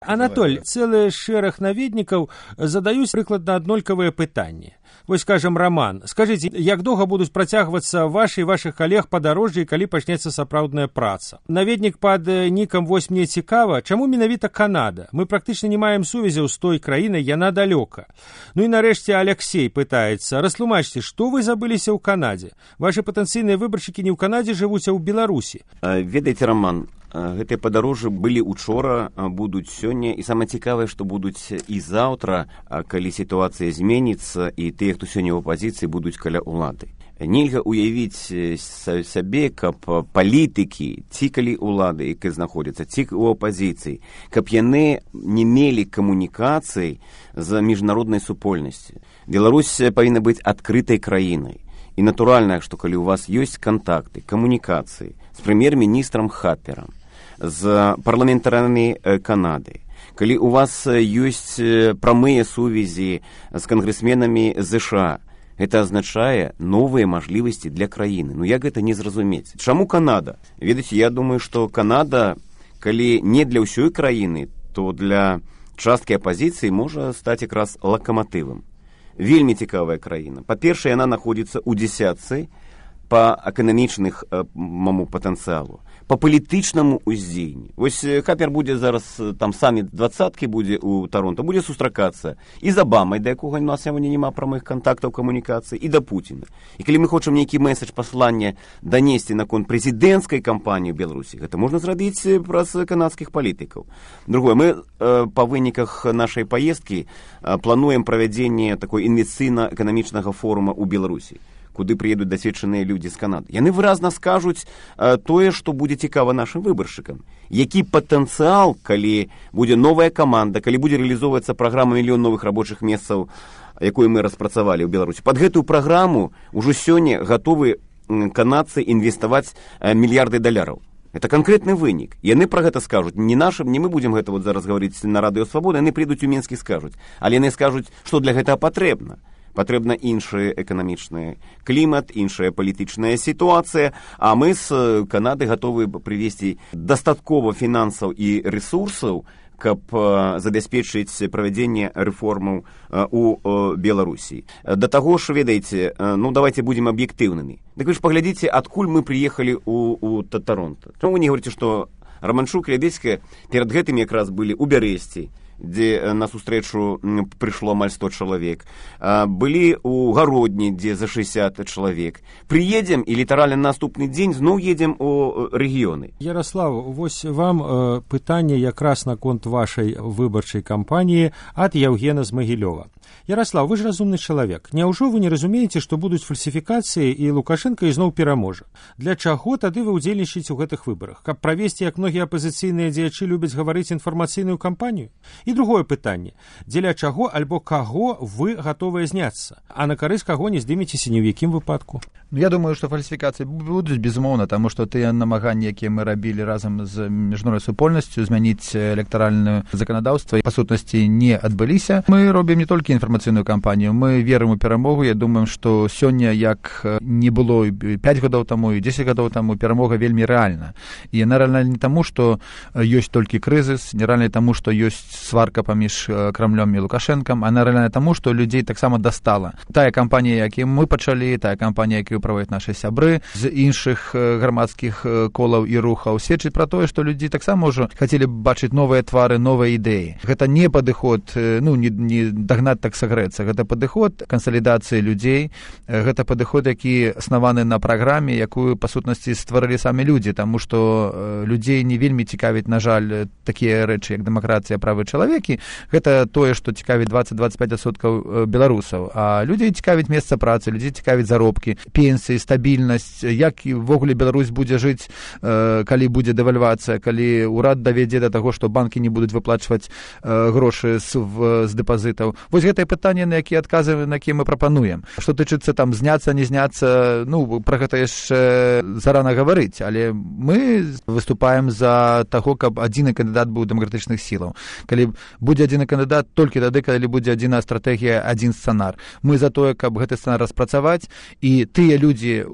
Анатоль, цэлы шэраг наведнікаў задаюць прыкладна аднолькавыя пытанні. Вось, скажем, Роман, скажыце, як доўга будуць працягвацца вашы і вашых калег падарожжы, калі пачнецца сапраўдная праца? Наведнік пад нікам «Вось мне цікава», чаму менавіта Канада? Мы практычна не маем сувязяў з той краінай, яна далёка. Ну і нарэшце Алексей пытаецца, растлумачце, што вы забыліся ў Канадзе? Вашы патэнцыйныя выбаршчыкі не ў Канадзе жывуць, а ў Беларусі. Ведаеце, Роман, гэтыя падарожжы былі учора, будуць сёння, і самае цікавае, што будуць і заўтра, калі сітуацыя зменіцца, і тыя, хто сёння ў апазіцыі, будуць каля ўлады. Нельга уявіць сабе, каб палітыкі, ці калі ўлады, якія знаходзяцца, ці ў апазіцыі, каб яны не мелі камунікацый з міжнароднай супольнасці. Беларусь павінна быць адкрытай краінай. І натуральна, што калі у вас ёсць кантакты, камунікацыі з прэм'ер-міністрам Хапперам, з парламентарамі Канады, калі у вас ёсць прамыя сувязі з кангрэсменамі ЗША, гэта азначае новыя мажлівасці для краіны. Ну як гэта не зразумець? Чаму Канада? Ведаеце, я думаю, што Канада, калі не для ўсёй краіны, то для часткі апазіцыі можа стаць якраз лакаматывам. Вельмі цікавая краіна. Па-першае, яна знаходзіцца ў дзесятцы па эканамічных патэнцыялу, па палітычнаму ўздзеянні. Вось Хаппер будзе зараз, там саміт 20-кі будзе ў Таронто, будзе сустракацца і з Абамай, да якога у нас сёння няма прамых кантактаў камунікацыі, і да Пуціна. І калі мы хочам нейкі месседж паслання данесці наконт прэзідэнцкай кампаніі ў Беларусі, гэта можна зрабіць праз канадскіх палітыкаў. Другое, мы па выніках нашай паездкі плануем правядзенне такой інвестыцыйна-эканамічнага форума ў Беларусі, куды прыедуць дасведчаныя людзі з Канады. Яны выразна скажуць тое, што будзе цікава нашым выбаршчыкам. Які патэнцыял, калі будзе новая каманда, калі будзе рэалізоўвацца праграма «Мільён новых рабочых месцаў», якую мы распрацавалі ў Беларусі. Пад гэтую праграму ўжо сёння гатовы канадцы інвеставаць мільярды даляраў. Это канкрэтны вынік. Яны пра гэта скажуць. Не нашым, не мы будзем гэта вот зараз гаварыць на радыё Свабода, яны прыйдуць у Мінск і скажуць. Але яны скажуць, што для гэтага патрэбна. Патрэбна іншы эканамічны клімат, іншая палітычная сітуацыя, а мы з Канады гатовы прывесці дастаткова фінансаў і рэсурсаў, каб забяспечыць правядзенне рэформаў у Беларусі. Да таго ж, ведаеце, ну давайте будзем аб'ектыўнымі. Дык вы ж паглядзіце, адкуль мы прыехалі у Таронто. Чаму вы не говорите, што Романчук і Лябедзька перад гэтым якраз былі ў Бярэсці, дзе на сустрэчу прыйшло амаль 100 чалавек, былі ў Гародні, дзе за 60 чалавек. Прыедзем і літаральна наступны дзень зноў едзем у рэгіёны. Ярослав, вось вам пытанне якраз наконт вашай выбарчай кампаніі ад Яўгена з Магілёва. Ярослав, вы ж разумны чалавек. Няўжо вы не разумееце, што будуць фальсіфікацыі і Лукашенко ізноў пераможа? Для чаго тады вы ўдзельнічаеце ў гэтых выбарах? Каб правесці, як многія апазіцыйныя дзеячы любяць гаварыць, інфармацыйную кампанію? І другое пытанне. Дзеля чаго альбо каго вы гатовыя зняцца? А на карысць каго не здымецеся ні ў якім выпадку? Я думаю, што фальсіфікацыі будуць, безумоўна, таму што тыя намаганні, якія мы рабілі разам з міжнароднай супольнасцю, змяніць электаральнае заканадаўства, па сутнасці не адбыліся. Мы робім не толькі інфармацыйную кампанію, мы верым у перамогу. Я думаю, што сёння, як не было 5 гадоў таму і 10 гадоў таму, перамога вельмі рэальна. І яна рэальна не таму, што ёсць толькі крызіс, не рэальна таму, што ёсць сварка паміж Крамлём і Лукашэнкам, а рэальна таму, што людзей таксама дастала. Тая кампанія, якую мы пачалі, тая кампанія, якую праводзяць нашы сябры з іншых грамадскіх колаў і рухаў, сведчыць пра тое, што людзі таксама ўжо хацелі бачыць новыя твары, новыя ідэі. Гэта не падыход, не дагнаць так сагрэцца. Гэта падыход кансалідацыі людзей, гэта падыход, які аснаваны на праграме, якую, па сутнасці, стварылі самі людзі, таму што людзей не вельмі цікавіць, на жаль, такія рэчы, як дэмакратыя, правы чалавекі. Гэта тое, што цікавіць 20-25% беларусаў. А людзей цікавіць месца працы, людзей цікавіць заробкі, пенсіі, стабільнасць, як ввогуле Беларусь будзе жыць, калі будзе дэвальвацыя, калі ўрад давядзе да таго, што банкі не будуць выплачваць грошы з дэпазітаў. Вось гэтае пытанне, на якія адказы, на якія мы прапануем. Што тычыцца там зняцца, не зняцца, пра гэта яшчэ зарана гаварыць, але мы выступаем за таго, каб адзіны кандыдат быў дэмакратычных сілаў. Калі будзе адзіны кандыдат толькі тады, калі будзе адзіная стратэгія, адзін сцэнар. Мы за тое, каб гэты сцэнар распрацаваць, і тыя людзі,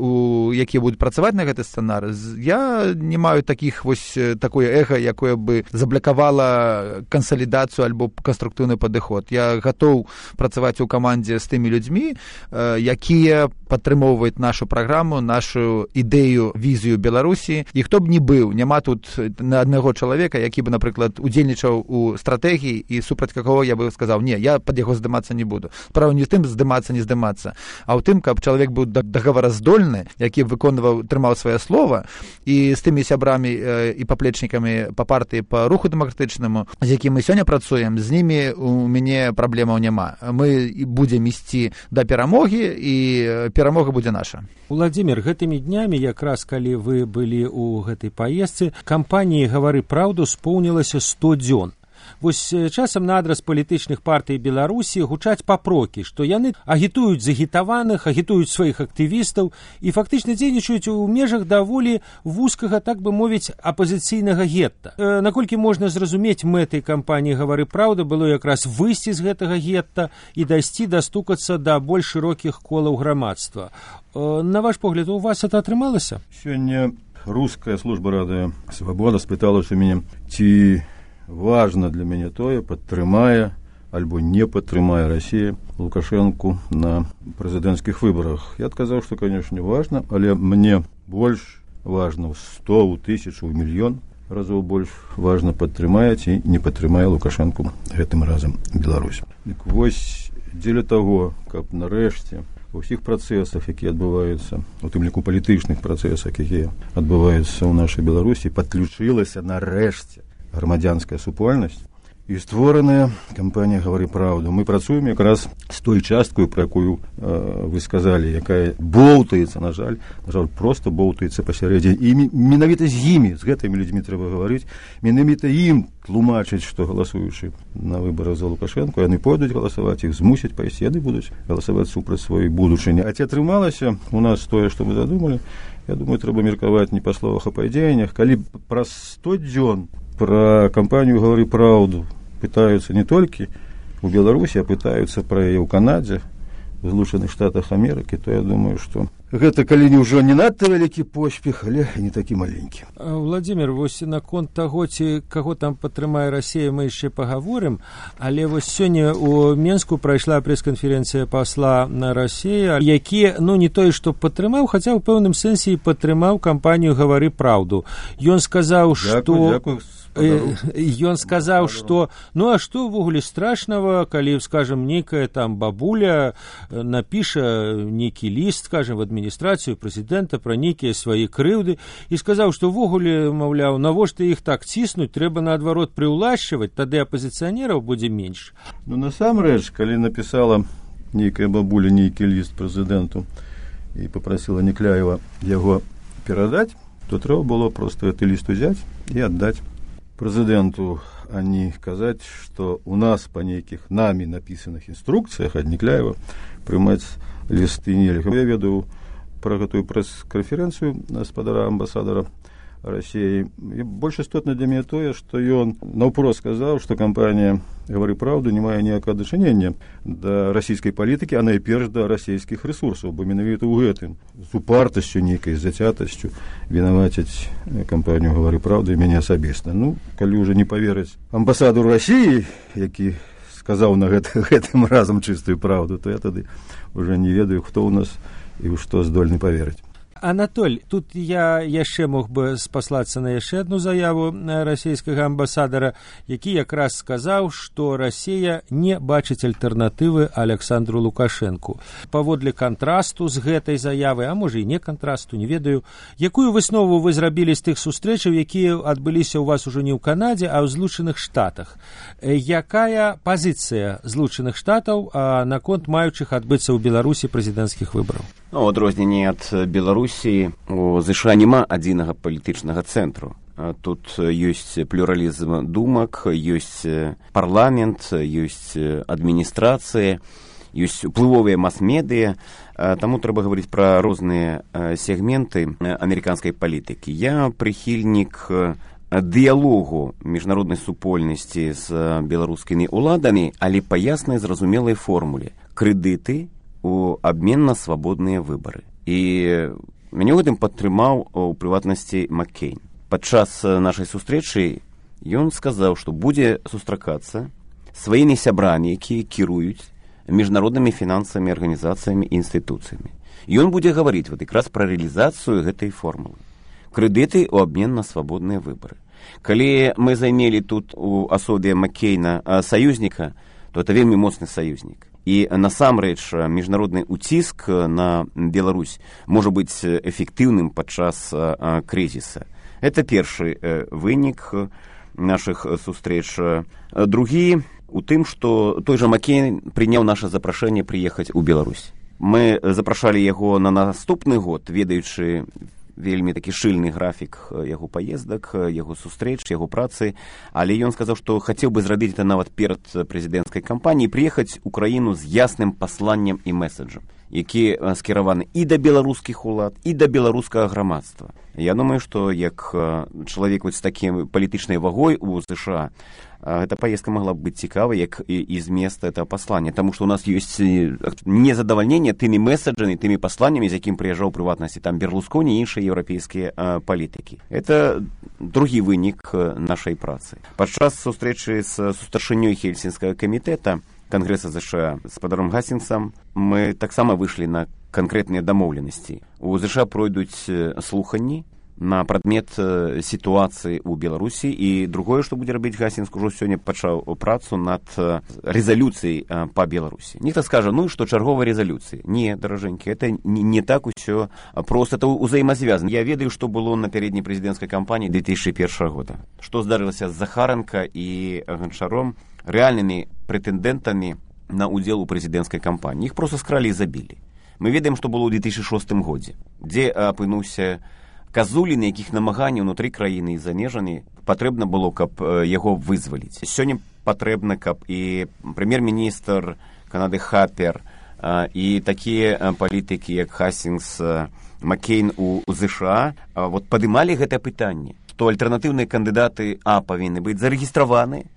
якія будуць працаваць на гэты сцэнар, я не маю такое эго, якое бы заблокавала кансалідацыю альбо канструктыўны падыход. Я гатоў працаваць у камандзе з тымі людзьмі, якія падтрымоўваюць нашу праграму, нашу ідэю, візію Беларусі. І хто б не быў, няма тут на аднаго чалавека, які бы, напрыклад, удзельнічаў у стратэгіі і супраць какого я бы сказаў, не, я пад яго здымацца не буду. Справа не з тым здымацца, не здымацца, а ў тым, каб чалавек быў дагавараздольны, які трымаў сваё слова, і з тымі сябрамі і паплечнікамі па партыі, па руху дэмакратычнаму, з якім мы сёння працуем, з імі у мяне праблемаў няма. Мы будзем ісці да перамогі, і перамога будзе наша. Владимир, гэтымі днямі, якраз калі вы былі ў гэтай паездцы, кампаніі «Гавары праўду» споўнілася 100 дзён. Вось часам на адрас палітычных партый Беларусі гучаць папрокі, што яны агітуюць загітаваных, агітуюць сваіх актывістаў і фактычна дзейнічаюць у межах даволі вузкага, так бы мовіць, апазіцыйнага гетта. Наколькі можна зразумець, мэтай кампаніі «Гавары праўда» было якраз выйсці з гэтага гетта і дайсці дастукацца да больш шырокіх колаў грамадства. На ваш погляд, у вас это атрымалася? Сёння руская служба радыё «Свабода» спыталася у мяне, ці важно для мяне тое, падтрымае альбо не падтрымае Расія Лукашэнку на прэзідэнцкіх выбарах. Я адказаў, што, канешне, важна, але мне больш важна 100, 1000, мільён разоў больш важна, падтрымае ці не падтрымае Лукашэнку гэтым разам Беларусь. Дык вось дзеля таго, каб нарэшце ва ўсіх працэсах, якія адбываюцца, у тым ліку палітычных працэсах, якія адбываюцца ў нашай Беларусі, падключылася нарэшце грамадзянская супольнасць і створаная кампанія «Гавары праўду». Мы працуем якраз з той часткаю, пра якую вы сказалі, якая боўтаецца, на жаль, проста боўтаецца пасярэдзіне. І менавіта з імі, з гэтымі людзьмі трэба гаварыць, менавіта ім тлумачыць, што галасуючы на выбарах за Лукашэнку, яны пойдуць галасаваць, іх змусяць пайсці, яны будуць галасаваць супраць сваёй будучыні. А ці атрымалася у нас тое, што мы задумалі, я думаю, трэба меркаваць не па словах, а па дзеяннях. Калі праз 100 дзён про кампанію «Гавары праўду» пытаюцца не толькі у Беларусі, а пытаюцца пра яе ў Канадзе, в Злучаных Штатах Амерыкі, то я думаю, што гэта калі не ўжо не надта вялікі поспех, але не такі маленькі. Владимир, вось наконт таго, ці каго там падтрымае Расія, мы яшчэ пагаворым, але вось сёння у Менску прайшла прэс-канферэнцыя пасла на Расію, які, не тое, што падтрымаў, хаця ў пэўным сэнсе і падтрымаў кампанію «Гавары праўду». Ён сказаў, што... Ён сказаў, што а што ўвогуле страшнага, калі, скажем, нейкая там бабуля напіша нейкі ліст, скажем, в адміністрацыю прэзідэнта пра нейкія свае крыўды, і сказаў, што ўвогуле, маўляў, навошта іх так ціснуць, трэба наадварот прыўлашчваць, тады апазіцыянераў будзе менш. Насамрэч, калі напісала нейкая бабуля нейкі ліст прэзідэнту і папрасіла Некляева яго перадаць, то трэба было проста гэты ліст узяць і аддаць прэзідэнту, а не казаць, што у нас па нейкіх намі напісаных інструкцыях ад Некляева прымаць лісты нельга. Я ведаю пра гэтую прэс-канферэнцыю гаспадара амбасадара Расіі. І больш істотна для мяне тое, што ён наўпрост сказаў, што кампанія «Гавары праўду» не мае ніякага дачынення да расійскай палітыкі, а найперш да расійскіх рэсурсаў, бо менавіта ў гэтым з упартасцю нейкай, з зацятасцю вінавацяць кампанію «Гавары праўду» і мяне асабіста. Калі ўжо не паверыць амбасадару Расіі, які сказаў на гэтым разам чыстую праўду, то я тады ўжо не ведаю, хто ў нас і ў што здольны паверыць. Анатоль, тут я яшчэ мог бы спаслацца на яшчэ адну заяву расійскага амбасадара, які якраз сказаў, што Расія не бачыць альтэрнатывы Александру Лукашэнку. Паводле кантрасту з гэтай заявы, а можа і не кантрасту, не ведаю, якую выснову вы зрабілі з тых сустрэчаў, якія адбыліся ў вас ужо не ў Канадзе, а ў Злучаных Штатах? Якая пазіцыя Злучаных Штатаў наконт маючых адбыцца ў Беларусі прэзідэнцкіх выбараў? У адрозненні ад Беларусі, у ЗША няма адзінага палітычнага цэнтру. Тут ёсць плюралізм думак, ёсць парламент, ёсць адміністрацыя, ёсць уплывовыя мас-медыя, таму трэба гаварыць пра розныя сегменты амерыканскай палітыкі. Я прыхільнік дыялогу міжнароднай супольнасці з беларускімі ўладамі, але па яснай зразумелай формуле. Крэдыты у абмен на свабодныя выбары. І мяне ў гэтым падтрымаў у прыватнасці Маккейн. Падчас нашай сустрэчы ён сказаў, што будзе сустракацца сваімі сябрамі, якія кіруюць міжнароднымі фінансавымі арганізацыямі і інстытуцыямі. Ён будзе гаварыць вот якраз пра рэалізацыю гэтай формулы. Крэдыты ў абмен на свабодныя выбары. Калі мы займелі тут у асобе Маккейна саюзніка, то это вельмі моцны саюзнік. І насамрэч міжнародны ўціск на Беларусь можа быць эфектыўным падчас крызіса. Это першы вынік нашых сустрэч. Другі у тым, што той жа Маккейн прыняў наша запрашэнне прыехаць у Беларусь. Мы запрашалі яго на наступны год, ведаючы вельмі такі шчыльны графік яго паездак, яго сустрэч, яго працы, але ён сказаў, што хацеў бы зрабіць это нават перад прэзідэнцкай кампаніяй, прыехаць у краіну з ясным пасланнем і мэсаджам, які скіраваны і да беларускіх улад, і да беларускага грамадства. Я думаю, што як чалавек з такім палітычнай вагой у США, эта поездка могла бы быть цікавой, як і змест этого послания, потому что у нас есть незадовольнение теми месседжами, теми посланиями, з яким приезжал в приватности там Берлускони и іншие европейские политики. Это другі вынік нашей працы. Падчас сустрэчы з сустаршынёй Хельсінскага камітэта Конгресса США с спадаром Гастингсом мы таксама выйшлі на конкретныя дамоўленасці. У США пройдуць слуханні на прадмет сітуацыі ў Беларусі, і другое, што будзе рабіць Гастингс, ужо сёння пачаў працу над рэзалюцыяй па Беларусі. Нехта скажа, ну што чарговая рэзалюцыя. Не, даражэнькі, это не так усё проста, это ўзаемазвязана. Я ведаю, што было на пярэдняй прэзідэнцкай кампаніі 2001 года. Што здарылася з Захаранка і Ганчаром, рэальнымі прэтэндэнтамі на ўдзел у прэзідэнцкай кампаніі. Іх проста скралі і забілі. Мы ведаем, што было ў 2006 годзе, дзе апынуўся Казулін, якіх намаганняў унутры краіны і за межамі патрэбна было, каб яго вызваліць. Сёння патрэбна, каб і прэм'ер-міністр Канады Хапер і такія палітыкі, як Хастингс, Маккейн у США, вот падымалі гэтае пытанне, што альтэрнатыўныя кандыдаты павінны быць зарэгістраваны,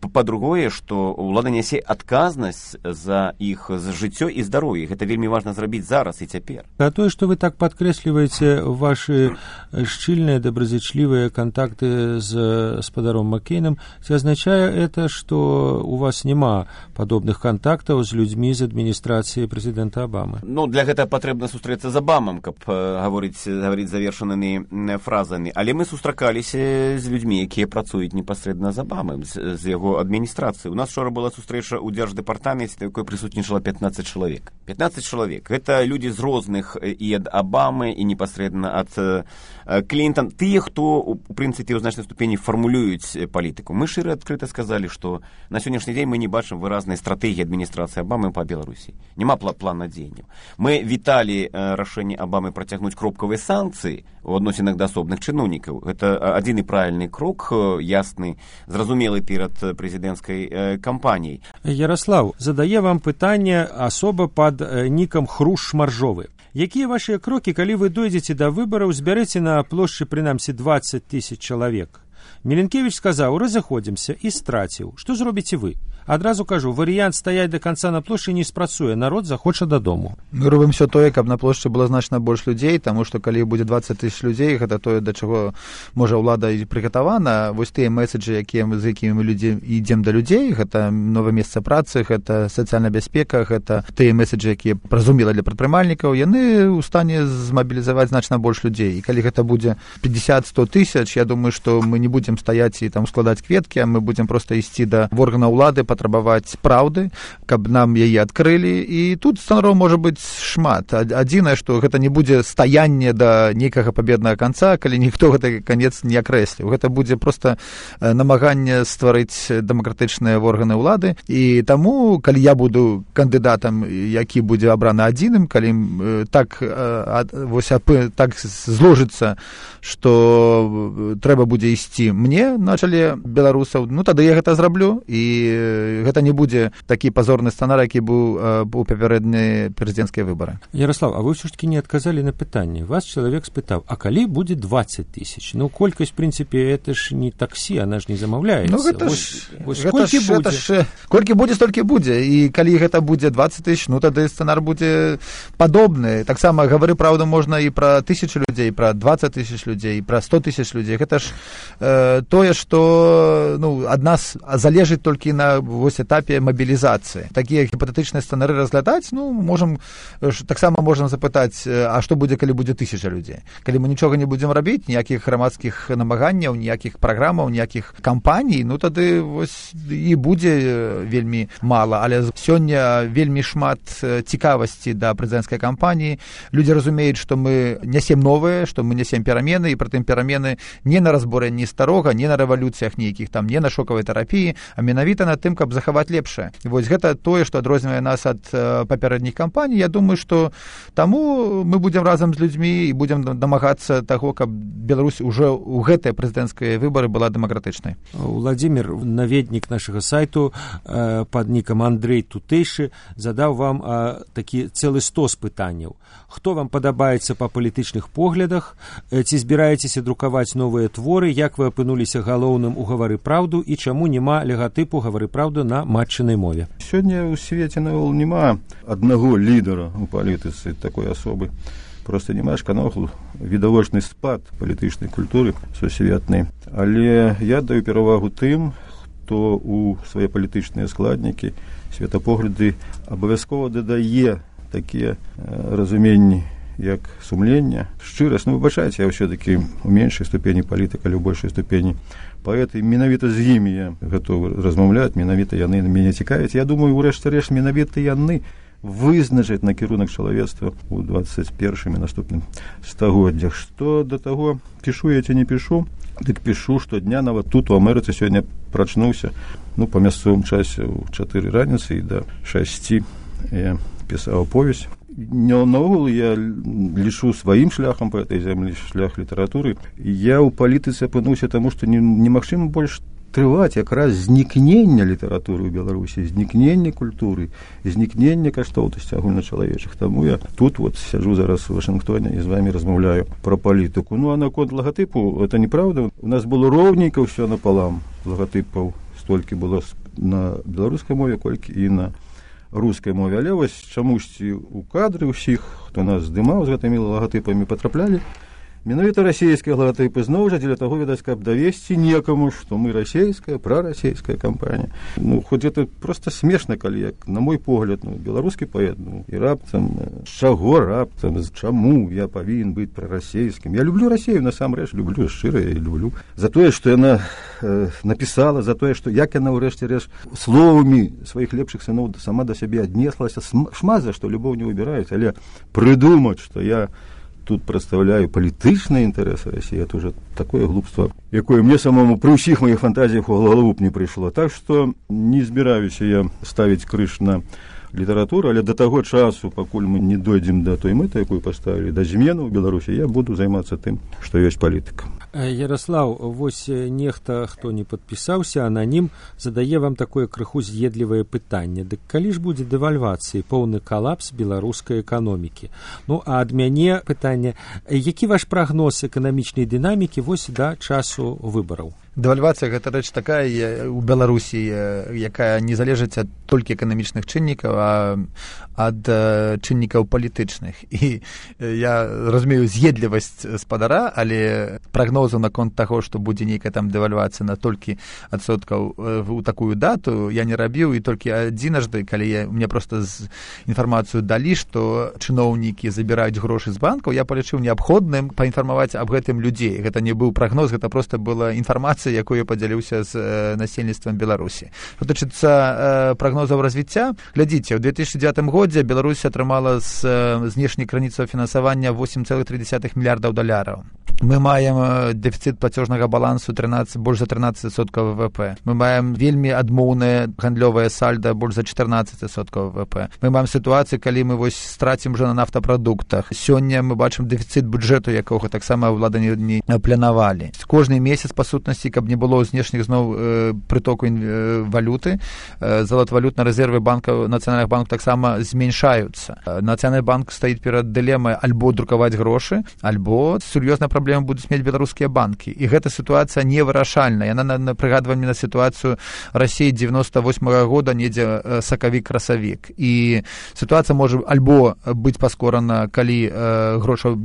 па-другое, што ўлада нясе адказнасць за іх жыццё і здароўе. Гэта вельмі важна зрабіць зараз і цяпер. А тое, што вы так падкрэсліваеце ваши шчыльныя, добразычлівыя кантакты з спадаром Маккейнам, ці азначае это, што у вас няма падобных кантактаў з людзьмі з адміністрацыі прэзідэнта Абамы? Ну, для гэтага патрэбна сустрэцца з Абамам, каб гаварыць завершанымі фразамі. Але мы сустракаліся з людзьмі, якія працуюць непасрэдна з Абамы, з яго адміністрацыі. У нас вчора была сустрэча ў дзярждэпартаменце, якой прысутнічала 15 чалавек. 15 чалавек. Гэта людзі з розных і ад Абамы, і непасрэдна ад Клінтон. Тыя, хто, у прынцыпе, ў значнай ступені фармулююць палітыку. Мы шчыра адкрыта сказалі, што на сённяшні дзень мы не бачым выразнай стратэгіі адміністрацыі Абамы па Беларусі. Няма плана дзеянняў. Мы віталі рашэнне Абамы працягнуць кропкавыя санкцыі у адносінах да асобных чыноўнікаў. Гэта адзіны правільны крок, ясны, зразумелы перад прэзідэнцкай кампаніяй. Ярослав, задае вам пытанне асоба пад нікам Хруш Маржовы. Якія вашыя крокі, калі вы дойдзеце да выбараў, збярэце на плошчы прынамсі 20 000 чалавек? Міленкевіч сказаў, разыходзімся, і страціў. Што зробіце вы? Адразу кажу, варыянт стаяць да канца на плошчы не спрацуе, народ захоча дадому. Мы робім все тое, каб на плошчы было значна больш людзей, таму што калі будзе 20 000 людзей, гэта тое, да чаго можа ўлада і прыгатавана. Вось тыя меседжы, з якімі мы ідзем да людзей, гэта новае месца працы, гэта сацыяльная бяспека, гэта тыя меседжы, якія зразумела для прадпрымальнікаў, яны ў стане змабілізаваць значна больш людзей. І калі гэта будзе 50-100 тысяч, я думаю, што мы не будзем стаяць і там складаць кветкі, а мы будзем проста ісці да органаў улады, патрабаваць праўды, каб нам яе адкрылі, і тут сцэнараў можа быць шмат. Адзінае, што гэта не будзе стаянне да нейкага пабеднага канца, калі ніхто гэты канец не акрэсліў. Гэта будзе проста намаганне стварыць дэмакратычныя органы ўлады, і таму, калі я буду кандыдатам, які будзе абраны адзіным, калі так зложыцца, што трэба будзе ісці мне на чале беларусаў, ну тады я гэта зраблю, і гэта не будзе такі пазорны сцэнар, які быў у папярэднія прэзідэнцкія выбары. Ярослав, а вы ўсё ж таки не адказалі на пытанне. Вас чалавек спытаў, а калі будзе 20 тысяч? Ну, колькасць, в принципе, это ж не таксі, она ж не замаўляецца. Ну, гэта колькі будзе, столькі будзе. І калі гэта будзе 20 тысяч, ну, тады сцэнар будзе падобны. Таксама гавары праўду можна і пра 1000 людзей, пра 20 тысяч людзей, пра 100 тысяч людзей. Гэта ж тое, што ад нас залежыць толькі на этапе мабілізацыі. Такія гіпатэтычныя сцэнары разглядаць, таксама можам запытаць, а што будзе, калі будзе 1000 людзей? Калі мы нічога не будзем рабіць, ніякіх грамадскіх намаганняў, ніякіх праграмаў, ніякіх кампаній, тады і будзе вельмі мала. Але сёння вельмі шмат цікавасці да прэзідэнцкай кампаніі. Людзі разумеюць, што мы нясем новыя, што мы нясем перамены, і прытым перамены не на разбурэнні старога, не на рэвалюцыях нейкіх, не на шокавай тэрапіі, а менавіта на тым, каб захаваць лепшае. Вось гэта тое, што адрознівае нас ад папярэдніх кампаній. Я думаю, што таму мы будзем разам з людзьмі і будзем дамагацца таго, каб Беларусь уже ў гэтыя прэзідэнцкія выбары была дэмакратычнай. Владимир, наведнік нашага сайту пад нікам Андрей Тутэйшы, задаў вам такі цэлы стос пытанняў. Хто вам падабаецца па палітычных поглядах? Ці збіраецеся друкаваць новыя творы? Як вы апынуліся галоўным у «Гавары праўду» і чаму няма легатыпу «Гавары праўду» на матчынай мове? Сёння ў свеце навол няма аднаго лідара ў палітыцы, такой асобы. Просто няма шканоху, відавочны спад палітычнай культуры сусветнай. Але я даю перавагу тым, хто ў свае палітычныя складнікі, светапогляды абавязкова дадае такія разуменні, як сумленне, шчырасць. Выбачайце, я ўсё-такі ў меншай ступені палітык, але ў большай ступені паэт, і менавіта з імі я гатовы размаўляць, менавіта яны мяне цікавяць. Я думаю, у рэшце-рэшт, менавіта яны вызначаць накірунак чалавецтва ў 21-м і наступным стагоддзях. Што да таго, пішу я ці не пішу, дык пішу штодня, нават тут у Амерыцы сёння прачнуўся, па мясцовым часе ў 4 раніцы і да 6 я пісаў повесць. Наогул я лічу сваім шляхам па этой зямлі, шлях літаратуры. Я ў палітыцы апынуўся таму, што немагчыма больш трываць якраз знікнення літаратуры ў Беларусі, знікнення культуры, знікнення каштоўнасці агульначалавечых. Таму я тут сяджу зараз у Вашынгтоне і з вамі размаўляю пра палітыку. А наконт лагатыпу, это неправда. У нас было роўненька ўсё напалам. Лагатыпаў столькі было на беларускай мове, колькі і на рускай мове. Але чамусьці у кадры ўсіх, хто нас здымаў з гэтымі лагатыпамі, патраплялі менавіта расійскія лагатыпы, зноў жа дзеля таго, відаць, каб давесці некаму, што мы расійская, прарасійская кампанія. Хоць это проста смешна, калі, як на мой погляд, беларускі паэт, і раптам, чаго раптам, чаму я павінен быць прарасійскім? Я люблю Расію, насамрэч, люблю, шчыра я люблю. За тое, што яна напісала, за тое, што як яна ўрэшце-рэшт словамі сваіх лепшых сыноў сама да сябе аднеслася, шмат за што любоў не выбіраюць, але прыдумаць, што я тут прадстаўляю палітычныя інтарэсы Расіі, это уже такое глупства, якое мне самому пры ўсіх маіх фантазіях у галаву б не прыйшло. Так што не збіраюся я ставіць крыж на літаратуру, але да таго часу, пакуль мы не дойдзем да той мэты, якую паставілі, да змены ў Беларусі, я буду займацца тым, што ёсць палітыка. Ярослав, вось нехта, хто не падпісаўся, ананім, задае вам такое крыху з'едлівае пытанне. Дык калі ж будзе дэвальвацыі, поўны калапс беларускай эканомікі? А ад мяне пытанне, які ваш прагноз эканамічнай дынамікі вось да часу выбараў? Дэвальвацыя – гэта рэч такая у Беларусі, якая не залежыць ад толькі эканамічных чыннікаў, а ад чыннікаў палітычных. І я разумею з'едлівасць спадара, але прагнозу наконт таго, што будзе нейкая там дэвальвацыя на толькі адсоткаў у такую дату, я не рабіў, і толькі адзінажды, калі мне проста інфармацыю далі, што чыноўнікі забіраюць грошы з банкаў, я палічыў неабходным паінфармаваць аб гэтым людзей. Гэта не быў прагноз, гэта проста была інфармацыя, якую падзяліўся з насельніцтвам Беларусі. Што тычыцца прагнозаў развіцця, глядзіце, ў 2009 годзе Беларусь атрымала з знешняй крыніцаў фінансавання $8,3 мільярдаў. Мы маем дэфіцыт плацежнага балансу больш за 13% ВВП. Мы маем вельмі адмоўнае гандлёвае сальда больш за 14% ВВП. Мы маем сітуацыю, калі мы вось страцім уже на нафтапрадуктах. Сёння мы бачым дэфіцыт бюджэту, якога таксама ўлада не планавалі. Кожны месяц, па сутнасці, каб не было знешніх зноў прытоку валюты, золотавалютныя рэзервы банкаў, нацыянальных банкаў таксама зменшаюцца. Нацыянальны банк стаіць перад дылемай альбо друкаваць грошы, альбо сур'ёзная праблема будуць мець беларускія банкі. І гэта сітуацыя невырашальная. Яна прыгадвае мне на сітуацыю Расіі 98-го года, недзе сакавік-красавік. І сітуацыя можа альбо быць паскорана, калі грошаў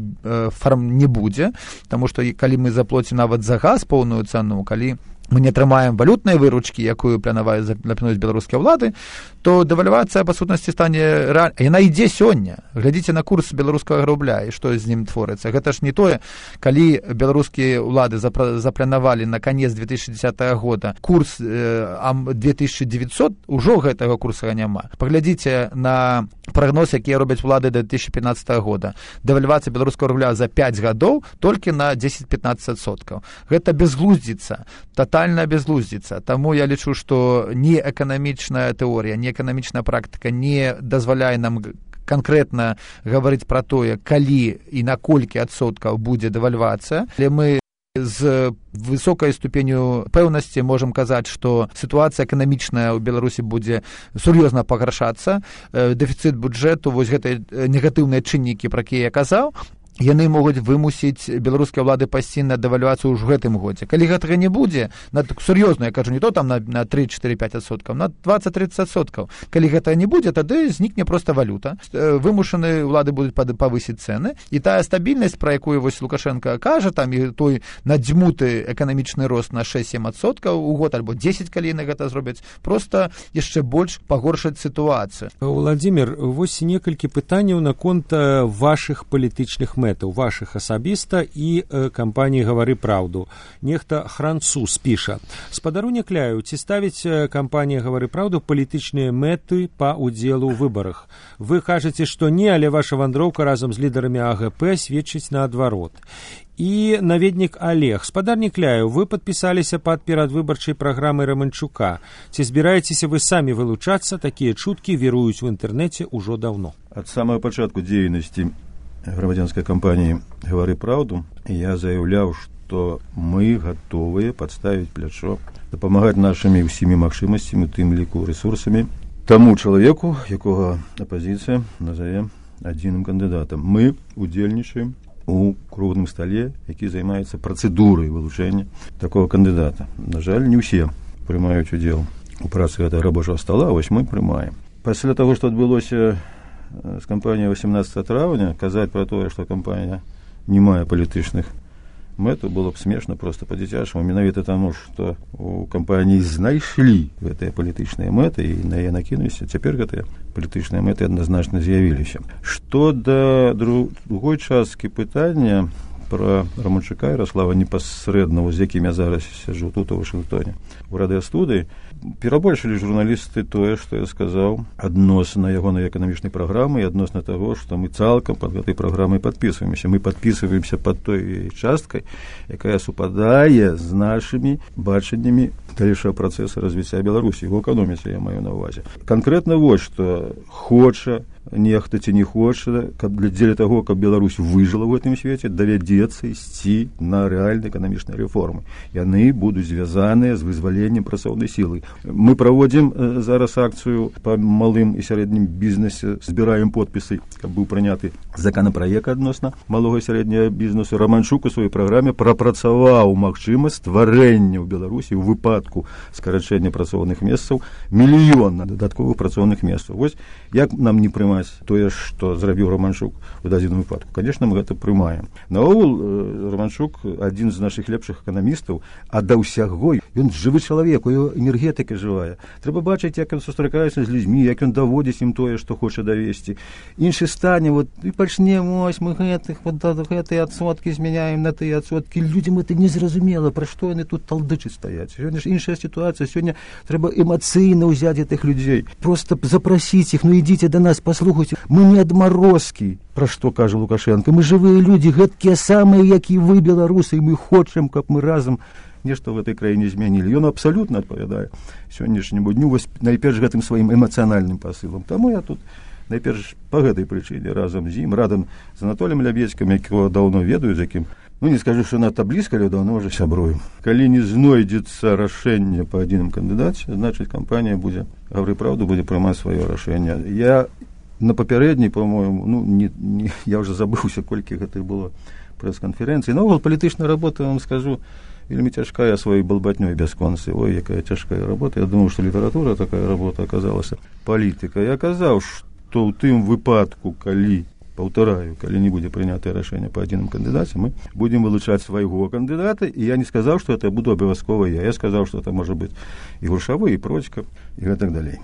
не будзе, таму што калі мы заплоцім нават за газ поўную цану, калі мы не атрымаем валютнай выручкі, якую плануюць беларускія ўлады, то дэвальвацыя па сутнасці стане рэальна. Яна ідзе сёння. Глядзіце на курс беларускага рубля і што з ім творыцца. Гэта ж не тое, калі беларускія ўлады запланавалі на канец 2010 года курс 2900, ужо гэтага курса няма. Паглядзіце на прагноз, якія робяць улады да 2015 года. Дэвальвацыя беларускага рубля за 5 гадоў толькі на 10-15%. Гэта безглуздзіца, тотальная безглуздзіца. Таму я лічу, што ні эканамічная тэорія, ні эканамічная практыка не дазваляе нам канкрэтна гаварыць пра тое, калі і на колькі адсоткаў будзе дэвальвацыя. Але мы з высокай ступеню пэўнасці можам казаць, што сітуацыя эканамічная ў Беларусі будзе сур'ёзна пагаршацца. Дэфіцыт бюджэту, вось гэтыя негатыўныя чыннікі, пра якія я казаў, яны могуць вымусіць беларускія ўлады пайсці на дэвальвацыю ўжо гэтым годзе. Калі гэтага не будзе, сур'ёзна, я кажу, не то там на 3-4-5%, на 20-30%. Калі гэтага не будзе, тады знікне проста валюта. Вымушаны ўлады будуць павысіць цэны, і тая стабільнасць, пра якую вось Лукашенко кажа, там і той надзьмуты эканамічны рост на 6-7% у год, альбо 10, калі яны гэта зробяць, проста яшчэ больш пагоршаць сітуацыю. Владимир, вось некалькі пытанняў наконт вашых палітычных мэтаў, вашых асабіста і кампаніі «Гавары праўду». Нехта Хранцус піша: «Спадару Някляеў, ці ставіць кампанія «Гавары праўду» палітычныя мэты па ўдзелу ў выбарах? Вы кажаце, што не, але ваша вандроўка разам з лідарамі АГП сведчыць наадварот». І наведнік Олег: «Спадар Някляеў, вы падпісаліся пад перадвыбарчай праграмай Романчука. Ці збіраецеся вы самі вылучацца? Такія чуткі віруюць у інтэрнэце ўжо даўно». Ад самага пачатку дзейнасці грамадзянскай кампаніі «Гавары праўду» я заяўляў, што мы гатовыя падставіць плячо, дапамагаць нашымі ўсімі магчымасцямі, у тым ліку рэсурсамі, таму чалавеку, якога апазіцыя назаве адзіным кандыдатам. Мы удзельнічаем у круглым стале, які займаецца працэдурай вылучэння такого кандыдата. На жаль, не ўсе прымаюць удзел у працы гэтага рабочага стала, вось мы прымаем. Пасля таго, што адбылося з кампаніяй 18 траўня, казаць пра тое, што кампанія не мае палітычных мэтаў, было б смешна проста па-дзіцячаму, менавіта таму, што у кампаніі знайшлі гэтыя палітычныя мэты і на яе накінуліся. Цяпер гэтыя палітычныя мэты адназначна з'явіліся. Што да другой часткі пытання пра Романчука Ярослава непасрэдна, з якім я зараз сяджу тут у Вашынгтоне у радыёстудыі, перабольшылі журналісты тое, што я сказаў адносна ягонай эканамічнай праграмы і адносна таго, што мы цалкам пад гэтай праграмай падпісваемся. Мы падпісваемся пад той часткай, якая супадае з нашымі бачаннямі далейшага працэсу развіцця Беларусі, у эканоміцы я маю на ўвазе. Канкрэтна вось што хоча нехта ці не хоча, каб дзеля таго, каб Беларусь выжыла ў гэтым свеце, давядзецца ісці на рэальныя эканамічныя рэформы. Яны будуць звязаныя з вызваленнем працоўнай сілы. Мы праводзім зараз акцыю па малым і сярэднім бізнесе, збіраем подпісы, каб быў прыняты законапраект адносна малога і сярэдняга бізнесу. Романчук у сваёй праграме прапрацаваў магчымасць стварэння ў Беларусі ў выпадку скарачэння працоўных месцаў 1 мільён дадатковых працоўных месцаў. Вось як нам не прымаць тое, што зрабіў Романчук у дадзеным выпадку? Конечно, мы гэта прымаем. Наогул, Романчук адзін з нашых лепшых эканамістаў, а да ўсяго ён жывы чалавек, у яго энергетыка палітыка жывая. Трэба бачыць, як ён сустракаецца з людзьмі, як ён даводзіць ім тое, што хоча давесці. Іншы стане, і пачнем, ось мы гэтыя адсоткі змяняем на тыя адсоткі. Людзям это незразумела, пра што яны тут талдычаць стаяць. Сёння ж іншая сітуацыя, сёння трэба эмацыйна ўзяць гэтых людзей. Просто запрасіць іх, ідзіце да нас, паслухайце. Мы не адмарозкі, пра што кажа Лукашенко. Мы жывыя людзі, гэткія самыя, як і вы, беларусы, і мы хочам, каб мы разам нешта в этой краіне змянілі. Ён абсалютна адпавядае сённяшняму дню, вось найперш гэтым сваім эмацыянальным пасылам. Таму я тут найперш па гэтай прычыне разам з ім, радам з Анатоліем Лябедзькім, якого даўно ведаю, з якім, не скажу, што надта блізка, але даўно ўжо сябруем. Калі не знойдзецца рашэнне па адзіным кандыдаце, значыць, кампанія будзе, гавары праўду, будзе прымаць сваё рашэнне. Я на папярэдняй, по-моему, я ўжо забыўся, колькі гэтых было прэс-канферэнцый. Наогул палітычная работа, вам скажу, вельмі цяжкая сваёй балбатнёй бясконцы. Ой, якая цяжкая работа. Я думаю, што літаратура такая работа аказалася. Палітыка. Я казаў, што ў тым выпадку, калі, паўтараю, калі не будзе прынятае рашэнне па адзіным кандыдаце, мы будзем вылучаць свайго кандыдата, і я не сказаў, што это буду абавязкова я. Я сказаў, што это можа быць і Грушавы, і Процька, і гэтак далей.